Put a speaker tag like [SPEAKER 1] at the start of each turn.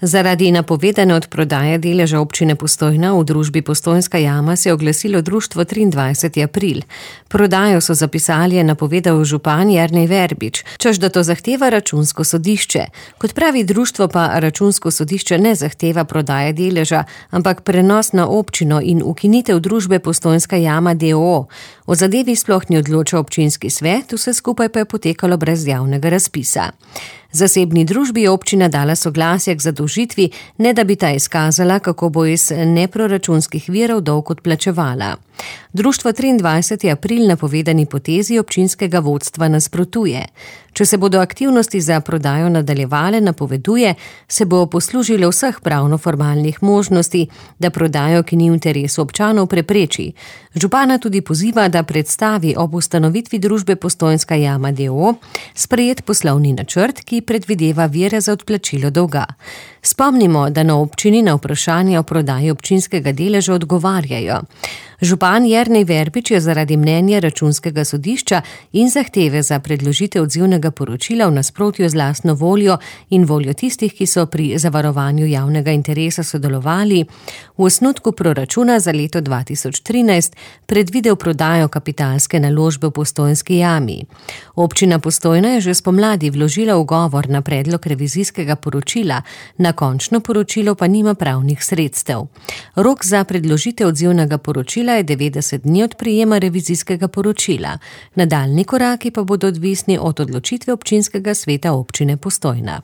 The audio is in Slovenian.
[SPEAKER 1] Zaradi napovedane odprodaje deleža občine Postojna v družbi Postojnska jama se je oglasilo društvo 23. april. Prodajo so zapisali, je napovedal župan Jernej Verbič, češ da to zahteva Računsko sodišče. Kot pravi društvo pa Računsko sodišče ne zahteva prodaje deleža, ampak prenos na občino in ukinitev družbe Postojnska jama d.o.o. O zadevi sploh ni odločal občinski svet, vse skupaj pa je potekalo brez javnega razpisa. Zasebni družbi je občina dala soglasje k zadolžitvi, ne da bi ta izkazala, kako bo iz neproračunskih virov dolg odplačevala. Društvo 23. april napovedani potezi občinskega vodstva nasprotuje. Če se bodo aktivnosti za prodajo nadaljevale, napoveduje, se bo poslužilo vseh pravno-formalnih možnosti, da prodajo, ki ni v interesu občanov, prepreči. Župana tudi poziva, da predstavi ob ustanovitvi družbe Postojnska jama d.o.o. sprejet poslovni načrt, ki predvideva vire za odplačilo dolga. Spomnimo, da na občini na vprašanje o prodaji občinskega deleža odgovarjajo. Župan Jernej Verbič je zaradi mnenja Računskega sodišča in zahteve za predložitev odzivnega poročila v nasprotju z lastno voljo in voljo tistih, ki so pri zavarovanju javnega interesa sodelovali, v osnutku proračuna za leto 2013 predvidel prodajo kapitalske naložbe v Postojnski jami. Občina Postojna je že spomladi vložila ugovor na predlog revizijskega poročila, na končno poročilo pa nima pravnih sredstev. Rok za predložitev odzivnega poročila je 90 dni od prejema revizijskega poročila. Nadaljnji koraki pa bodo odvisni od odločitve občinskega sveta občine Postojna.